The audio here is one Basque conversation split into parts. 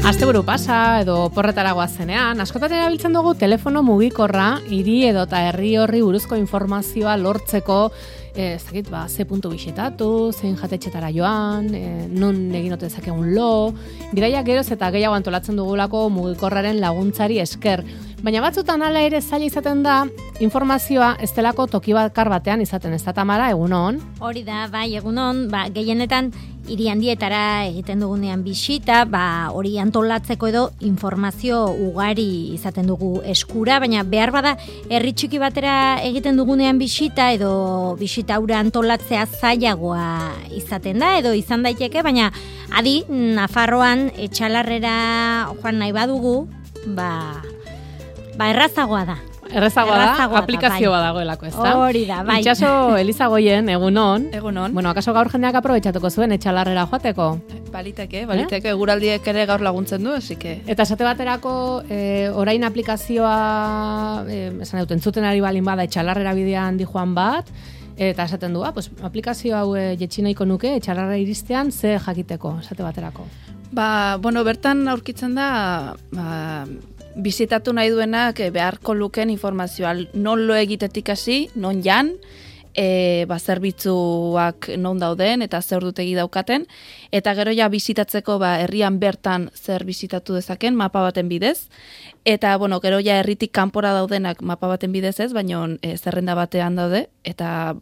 Asteburu pasa edo porretara goazenean, askotan erabiltzen dugu telefono mugikorra hiri edota herri horri buruzko informazioa lortzeko, ze puntu bisitatu, zein jatetxetara joan, non egin ote dezakegun lo, bidaiak geroz eta gehiago antolatzen dugulako mugikorraren laguntzari esker. Baina batzutan hala ere zaila izaten da, informazioa ez delako toki bakar batean izaten, ez da Tamara, egunon? Hori da, bai, egunon, gehienetan hiri handietara egiten dugunean bisita, hori antolatzeko edo informazio ugari izaten dugu eskura, baina behar bada herri txiki batera egiten dugunean bisita edo bisita hura antolatzea zailagoa izaten da edo izan daiteke, baina adi Nafarroan Etxalarrera joan nahi badugu, errazagoa da. Errazagoa da, aplikazio bat dagoelako, ez da? Hori da, bai. Itxaso Elizagoien, egunon. Egunon. Bueno, akaso gaur jendeak aprobetxatuko zuen Etxalarrera joateko? Baliteke, eguraldiek ere gaur laguntzen du, esike. Eta esate baterako, orain aplikazioa, esan dut, entzuten ari balin bada Etxalarrera bidean dijoan bat, eta esaten du, aplikazio hau jetxi nahiko nuke, Etxalarrera iristean, ze jakiteko, esate baterako? Bertan aurkitzen da, bizitatu nahi duenak beharko luken informazioa, non lo egitetik hasi, non jan, zerbitzuak non dauden eta zer dutegi daukaten, eta gero ja bizitatzeko herrian bertan zer bizitatu dezaken mapa baten bidez, eta gero ja herritik kanpora daudenak mapa baten bidez ez, baina zerrenda batean daude, eta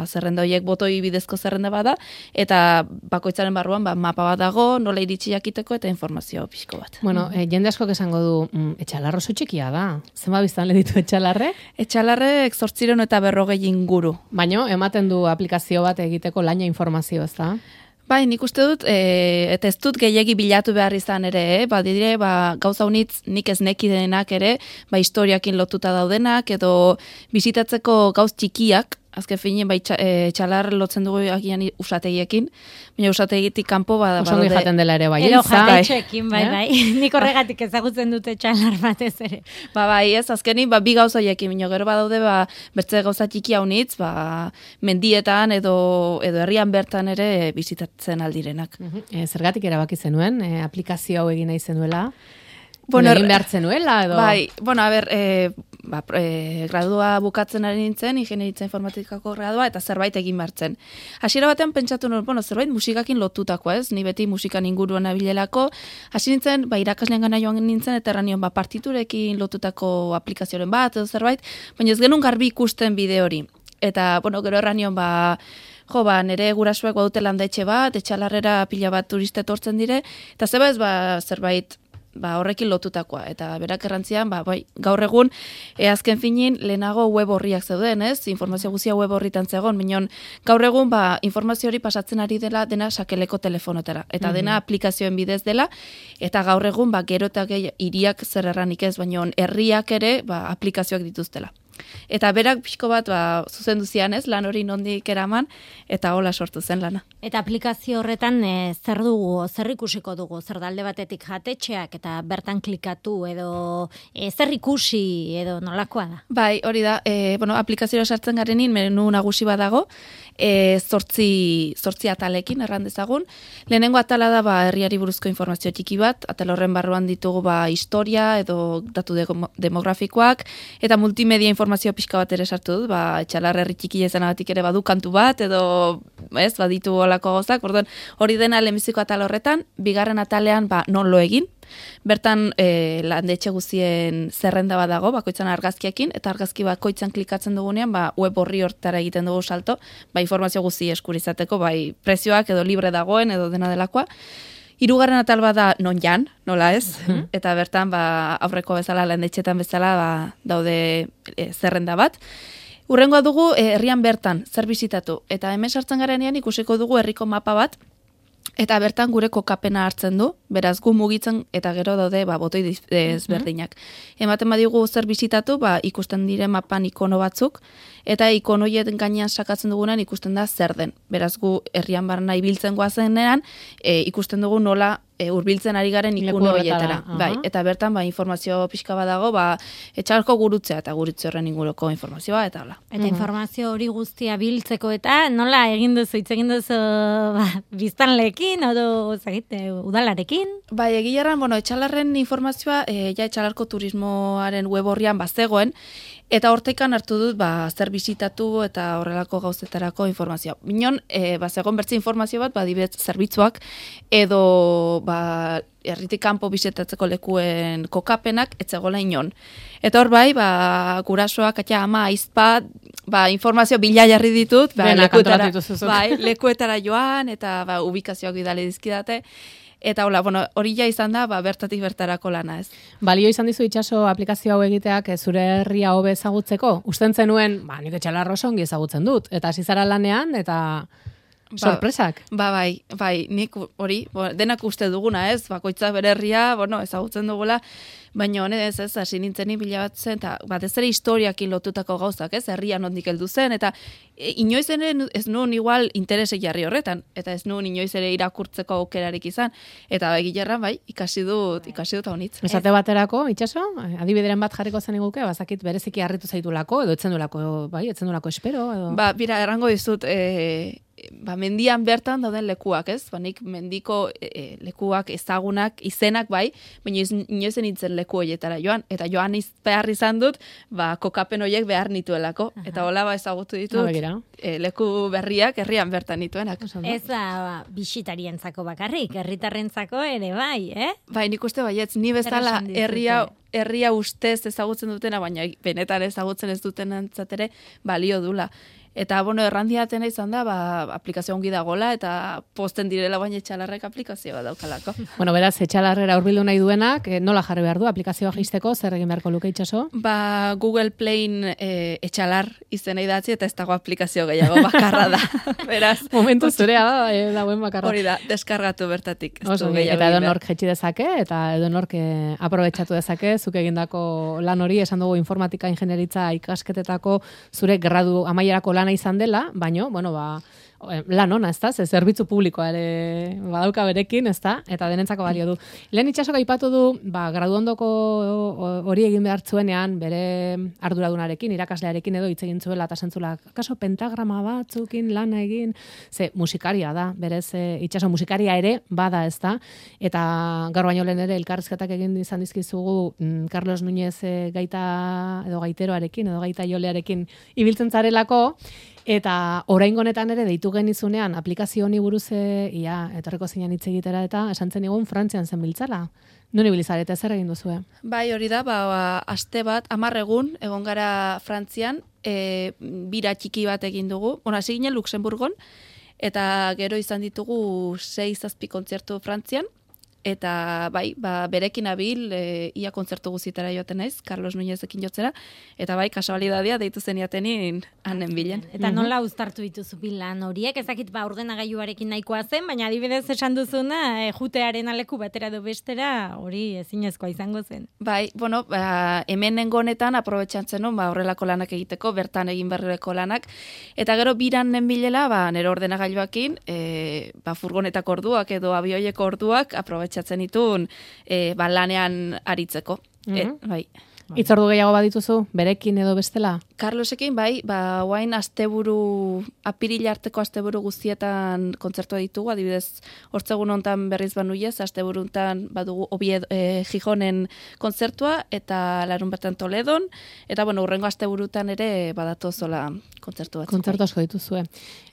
zerrenda horiek botoi bidezko zerrenda bada, eta bakoitzaren barruan mapa bat dago, nola iritsi jakiteko eta informazio pixko bat. Bueno, jende askok esango du, Etxalarro oso txikia da. Zenba biztanle ditu Etxalarrek? Etxalarrek 840 inguru. Baina, ematen du aplikazio bat egiteko laina informazio, ez da? Bai, nik uste dut, eta ez dut gehiegi bilatu behar izan ere, gauza unitz nik ez nekidenak ere, historiakin lotuta daudenak, edo bizitatzeko gauz txikiak, azken finean, Etxalar lotzen dugu agian usategiekin, baina usategitik kanpo Osongi jaten dela ere bai. Ero jatetxeekin, bai. Nik horregatik ezagutzen dute Etxalar batez ere. Ez, azkenin, bi gauza horiekin, baina gero badaude, bertze gauza txiki haunitz, mendietan edo herrian bertan ere bizitatzen aldirenak. Zergatik erabaki zenuen, aplikazio hau egin nahi zenuela? Egin behar zenuela, edo? Gradua bukatzen ari nintzen, ingeniaritza informatikako gradua, eta zerbait egin behartzen. Hasiera batean pentsatu nuen, zerbait musikakin lotutako, ez? Ni beti musikan inguruan abilelako. Hasi nintzen, irakaslean gana joan nintzen, eta erranion, partiturekin lotutako aplikazioaren bat, edo zerbait, baina ez genuen garbi ikusten bideo hori. Eta, gero erranion, nire gurasuek badute landetxe bat, Etxalarrera pila bat turiste etortzen dire, eta zerbait horrekin lotutakoa. Eta berak errantzian, gaur egun, azken finin, lehenago web horriak zeuden, ez? Informazio guzia web horritan zegoen, minon, gaur egun, informazio hori pasatzen ari dela dena sakeleko telefonotara. Eta dena aplikazioen bidez dela, eta gaur egun, gero eta hiriak zer erranik ez, baina herriak ere, aplikazioak dituztela. Eta berak pixko bat zuzendu zian ez, lan hori nondik eraman, eta hola sortu zen lana. Eta aplikazio horretan zer dugu, zer ikusiko dugu, zer dalde batetik jatetxeak, eta bertan klikatu, edo zer ikusi, edo nolakoa da? Bai, hori da, aplikazioa sartzen garenin, menu nagusi badago, 8 atalekin erran dezagun. Lehenengo atala da herriari buruzko informazio txiki bat, atal horren barruan ditugu historia edo datu demografikoak, eta multimedia informazio pixka bat ere sartu dut, Etxalar herri txiki izanagatik ere badu kantu bat, edo baditu olako gozak, hori dena lehenbiziko atal horretan, bigarren atalean non lo egin, bertan landetxe guztien zerrenda bat dago, bakoitzan argazkiekin, eta argazki bakoitzan klikatzen dugunean, web horri hortara egiten dugu salto, informazio guzti eskurizateko, prezioak edo libre dagoen, edo dena delakoa. Hirugarren atal bat da non jan, nola ez, eta bertan aurreko bezala, landetxetan bezala, daude zerrenda bat. Hurrengoa dugu herrian bertan, zer bizitatu, eta hemen sartzen garenean ikusiko dugu herriko mapa bat, eta bertan gure kokapena hartzen du, beraz gu mugitzen eta gero daude botoi ezberdinak. Ematen badigu zer bizitatu, ikusten dire mapan ikono batzuk, eta ikonoien gainean sakatzen dugunean ikusten da zer den. Beraz gu herrian barna ibiltzen goazenean, ikusten dugu nola hurbiltzen ari garen ikun horietara. Bai, eta bertan informazio pixka bat dago, etxalarko gurutzea eta gurutze horren inguruko informazioa eta hola. Eta informazio hori guztia biltzeko eta nola egin duzu, hitz egin duzu biztanleekin edo udalarekin? Bai, egileran, etxalarren informazioa etxalarko turismoaren web horrian bazegoen, eta hortekan hartu dut, zer bisitatu eta horrelako gauzetarako informazioa. Minon, bazegoen bertze informazio bat, adibidez zerbitzuak, edo, herritik kanpo bisitatzeko lekuen kokapenak, etzegoela inon. Eta hor bai, gurasoak, ama, aizpa, informazio bila jarri ditut, lekuetara joan, eta ubikazioak bidali dizkidate, eta hori ja izan da, bertatik bertarako lana ez. Balio izan dizu Itxaso aplikazio hau egiteak zure herria hobe ezagutzeko? Usten zenuen, nik Etxalarra oso ongi ezagutzen dut, eta hasi zara lanean, eta sorpresak. Bai, nik hori, denak uste duguna ez, bakoitzak bere herria, ezagutzen dugula, baina honez ez, hasi nintzenin bilabatzen, eta batez ere historiakin lotutako gauzak ez, herria nondik heldu zen, eta inoiz ere ez nuen igual interese jarri horretan, eta ez nuen inoiz ere irakurtzeko aukerarik izan, eta egilerran ikasi dut honitz. Esate baterako, Itxaso, adibideren bat jarriko zen iguke, bazakit bereziki harritu zaitulako, edo etzen dulako espero, edo... Bira, errango dizut, mendian bertan dauden lekuak, ez? Nik mendiko lekuak ezagunak, izenak baina inoiz nintzen leku horietara joan, eta joan behar izan dut, kokapen horiek behar nituelako, eta hola ezagutu ditut, leku berriak herrian bertan nituenak. Ez bisitarientzako bakarrik, herritarrentzako ere bai, Bai, nik uste baietz, ni bezala herria ustez ezagutzen dutena, baina benetan ezagutzen ez duten antzatere balio dula. Eta, errandiatena izan da, aplikazio ongi dagoela, eta posten direla baina Etxalarrek aplikazioa daukalako. Beraz, Etxalarrera hurbildu nahi duenak, nola jarri behar du aplikazioa jisteko, zer egin beharko luke Itxaso? Google Playn Etxalar izena idatzi, eta ez dago aplikazio gehiago bakarra da. Beraz, momentu zurea dagoen bakarra. Hori da, deskargatu bertatik. Eta edonork jetxi dezake, eta edonork aprobetxatu dezake, zuk egindako lan hori, esan dugu informatika ingenieritza ikasketetako zure gradu amaierako lana izan dela, baino, lan ona, ezta? Zerbitzu publikoa ere badauka berekin, ezta? Eta denentzako balio du. Lehen Itxasok aipatu du, graduondoko hori egin behar zuenean, bere arduradunarekin, irakaslearekin edo hitz egin zuela, eta zentzula, kaso pentagrama batzukin lana egin, musikaria da, berez Itxaso musikaria ere bada, ezta? Eta gaur baino lehen ere elkarrizketak egin izan dizkizugu Carlos Núñez gaita edo gaiteroarekin, edo gaita jolearekin ibiltzen zarelako, eta oraingo honetan ere deitu genizunean aplikazio honi buruz etorriko zinean hitz egitera eta esan zen egun Frantzian zen biltzala. Non ibilizarete zer egin duzue? Bai, hori da, aste bat, 10 egun egon gara Frantzian, bira txiki bat egin dugu. Hasi ginen Luxemburgon, eta gero izan ditugu 6-7 kontzertu Frantzian, eta berekin abil, ia kontzertu guztietara joaten naiz, Carlos Núñezekin jotzera, eta kasualidadea deitu zeniatenin hanen bilen. Eta nola uztartu dituzu bilan horiek, ezakit ordenagailuarekin nahikoa zen, baina adibidez esan duzuna, jutearen aleku batera edo bestera, hori ezinezkoa izango zen. Bai, hemen nengonetan aprobetxantzen nun, horrelako lanak egiteko, bertan egin berreko lanak, eta gero biran nenbilela, nero ordenagailuakin, furgonetako orduak edo abioieko orduak aprobetxantzen itun lanean aritzeko. Bai. Itzordu gehiago badituzu, berekin edo bestela? Carlosekin, guain apirila arteko asteburu guztietan kontzertua ditugu, adibidez, hortzegun hontan berriz banuiez, asteburu hontan badugu Gijonen kontzertua, eta larun bertan Toledon, eta urrengo asteburutan ere badatozola kontzertu batzuk. Kontzertu asko dituzue.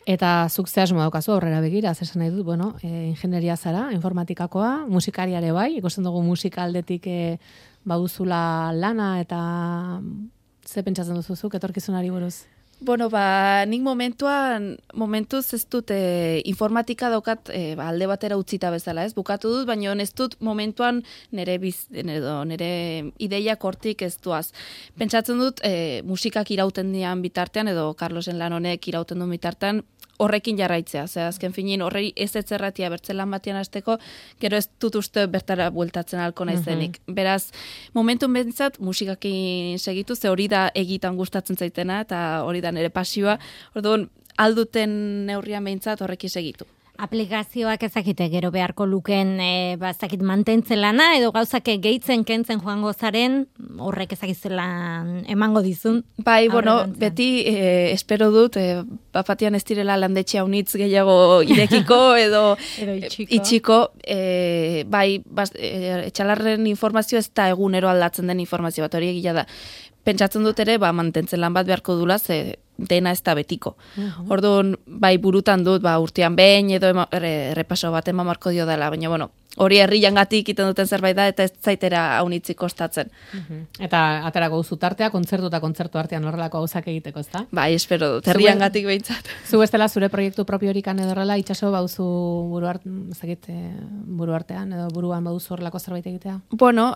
Eta zuk ze asmo daukazu aurrera begira, esan nahi dut, ingenieria zara, informatikakoa, musikariare bai, ikusten dugu musika aldetik baduzula lana, eta ze pentsatzen duzuzuk etorkizunari buruz? Nik momentuz ez dut informatika daukat alde batera utzita bezala, ez? Bukatu dut, baina ez dut momentuan nire ideiak hortik ez duaz. Pentsatzen dut musikak irauten dian bitartean, edo Carlosen lan honek irauten duen bitartean, horrekin jarraitzea, azken finin horrei ez etzerratia bertzelan batean hasteko, gero ez dut uste bertara bueltatzen alko naizenik. Beraz, momentun bentsat musikakin segitu, ze hori da egitan gustatzen zaitena, eta hori da nire pasioa, orduan alduten neurrian bentsat horrekin segitu. aplikazioak ezakite gero beharko luken ezakit mantentzen lana edo gauzak gehitzen kentzen joango zaren horrek ezakitzelan emango dizun. Bai, bueno, beti espero dut bapatian ez direla landetxe haunitz gehiago irekiko edo itxiko. Bai, etxalarren informazio ez da egunero aldatzen den informazio bat, hori egia da. Pentsatzen dut ere, mantentzen lan bat beharko dula, ze dena ez da betiko. Orduan, bai burutan dut, urtean behin edo errepaso bat eman marko dio dela, baina, bueno, hori herriangatik iten duten zerbait da, eta ez zaitera haunitzik kostatzen. Eta aterako zutartea, kontzertu artean horrelako gauzak egiteko, ezta? Bai, espero dut, herriangatik behintzat. Zu bestela zure proiektu propiorikan edo horrela, itxaso bauzu buru artean, edo buruan bauzu horrelako zerbait egitea? Bueno,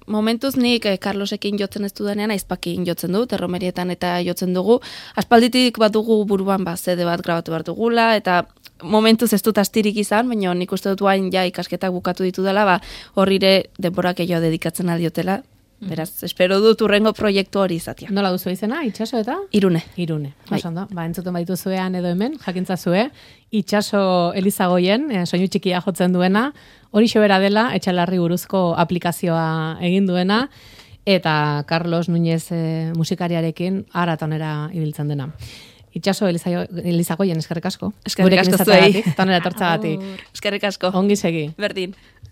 momentuz nik Carlosekin jotzen ez dudanean, aizpakin jotzen dut, erromerietan eta jotzen dugu. Aspalditik bat dugu buruan zede bat grabatu behar dugula, eta momentuz ez dut astirik izan, baina nik uste dut guain ikasketak bukatu ditu dela, horrire denborak gehiago dedikatzen aldiotela. Beraz, espero dut urrengo proiektu hori izatea. Nola duzu izena, itxaso eta? Irune. Osondo, entzuten baitu zuean edo hemen, jakintza zue, itxaso Elizagoien, soinu txikia jotzen duena, hori sobera dela, etxalarri buruzko aplikazioa egin duena, eta Carlos Núñez musikariarekin aratonera ibiltzen dena. Itxaso Elizagoien, eskerrik asko. Eskerrik asko zuei. Tonera etortzagatik. Eskerrik asko. Ongi segi. Berdin.